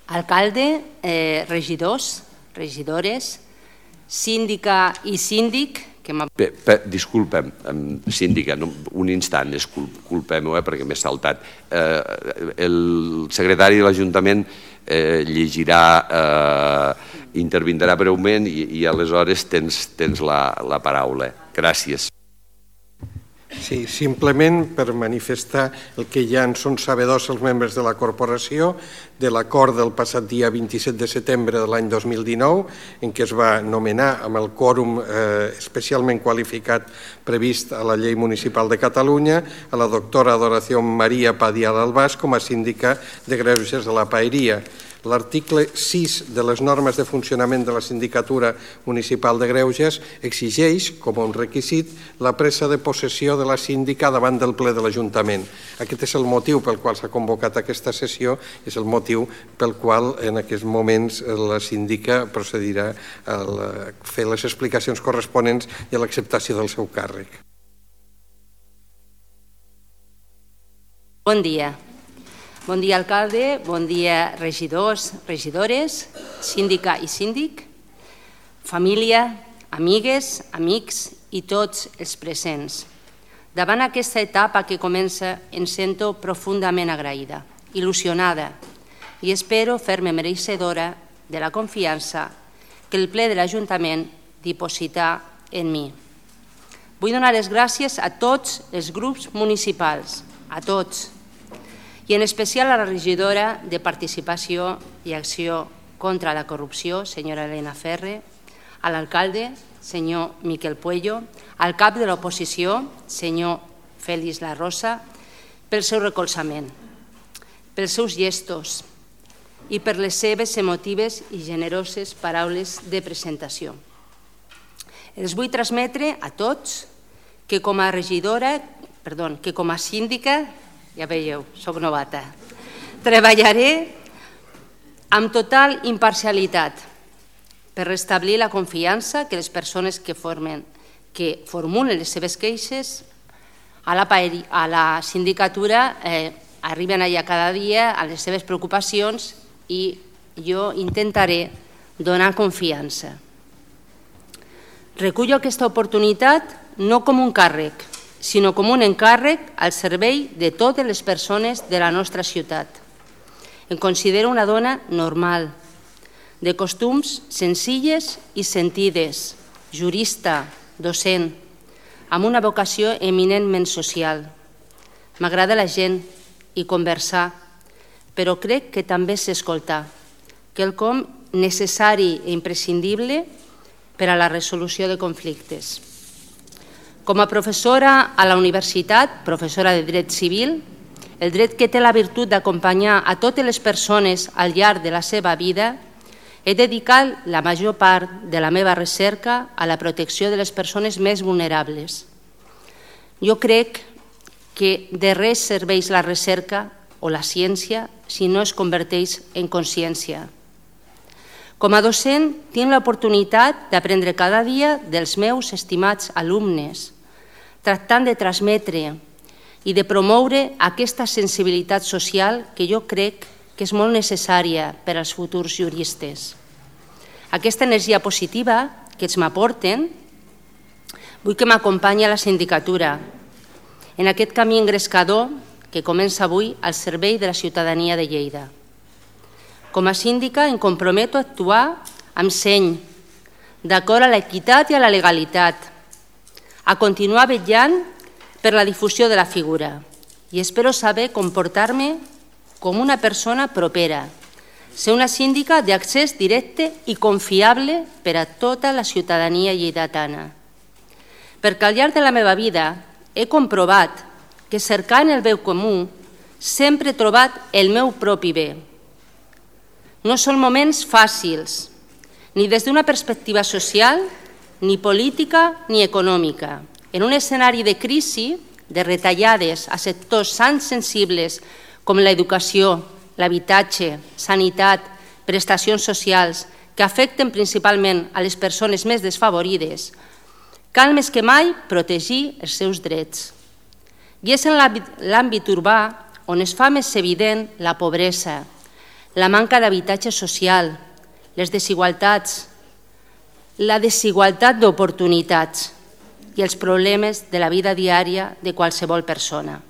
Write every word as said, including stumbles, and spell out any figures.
alcalde, eh, regidors, regidores, síndica i síndic, que m'ha... Disculpa'm, síndica, un instant, disculpem-ho, perquè m'he saltat. El secretari de l'Ajuntament llegirà, intervindrà breument i aleshores tens la paraula. Gràcies. Sí, simplement per manifestar el que ja en són sabedors els membres de la corporació de l'acord del passat dia vint-i-set de setembre de l'any dos mil dinou en què es va nomenar amb el quòrum especialment qualificat previst a la Llei Municipal de Catalunya a la doctora Adoración María Padial Albàs com a síndica de greuges de la Paeria. L'article sis de les normes de funcionament de la Sindicatura Municipal de Greuges exigeix, com un requisit, la presa de possessió de la síndica davant del ple de l'Ajuntament. Aquest és el motiu pel qual s'ha convocat aquesta sessió i és el motiu pel qual en aquests moments la síndica procedirà a fer les explicacions corresponents i a l'acceptació del seu càrrec. Bon dia. Bon dia, alcalde, bon dia, regidors, regidores, síndica i síndic, família, amigues, amics i tots els presents. Davant aquesta etapa que comença em sento profundament agraïda, il·lusionada i espero fer-me mereixedora de la confiança que el ple de l'Ajuntament diposita en mi. Vull donar les gràcies a tots els grups municipals, a tots, i en especial a la regidora de Participació i Acció contra la Corrupció, senyora Elena Ferre, a l'alcalde, senyor Miquel Puello, al cap de l'oposició, senyor Félix La Rosa, pel seu recolzament, pels seus gestos i per les seves emotives i generoses paraules de presentació. Els vull transmetre a tots que com a regidora, perdó, que com a síndica, ja veieu, soc novata, treballaré amb total imparcialitat per restablir la confiança que les persones que formen, que formulen les seves queixes a la, a la sindicatura eh, arriben allà cada dia a les seves preocupacions i jo intentaré donar confiança. Recullo aquesta oportunitat no com un càrrec, sinó com un encàrrec al servei de totes les persones de la nostra ciutat. Em considero una dona normal, de costums senzilles i sentides, jurista, docent, amb una vocació eminentment social. M'agrada la gent i conversar, però crec que també sé escoltar, quelcom necessari i imprescindible per a la resolució de conflictes. Com a professora a la universitat, professora de dret civil, el dret que té la virtut d'acompanyar a totes les persones al llarg de la seva vida, he dedicat la major part de la meva recerca a la protecció de les persones més vulnerables. Jo crec que de res serveix la recerca o la ciència si no es converteix en consciència. Com a docent, tinc l'oportunitat d'aprendre cada dia dels meus estimats alumnes, tractant de transmetre i de promoure aquesta sensibilitat social que jo crec que és molt necessària per als futurs juristes. Aquesta energia positiva que ens m'aporten, vull que m'acompanyi a la sindicatura, en aquest camí engrescador que comença avui al servei de la ciutadania de Lleida. Com a síndica em comprometo a actuar amb seny, d'acord a l'equitat i a la legalitat, a continuar vetllant per la difusió de la figura i espero saber comportar-me com una persona propera, ser una síndica d'accés directe i confiable per a tota la ciutadania lleidatana. Perquè al llarg de la meva vida he comprovat que cercant el bé comú sempre he trobat el meu propi bé. No són moments fàcils, ni des d'una perspectiva social, ni política ni econòmica. En un escenari de crisi, de retallades a sectors tan sensibles com l'educació, l'habitatge, sanitat, prestacions socials, que afecten principalment a les persones més desfavorides, cal més que mai protegir els seus drets. I és en l'àmbit urbà on es fa més evident la pobresa, la manca d'habitatge social, les desigualtats, la desigualtat d'oportunitats i els problemes de la vida diària de qualsevol persona.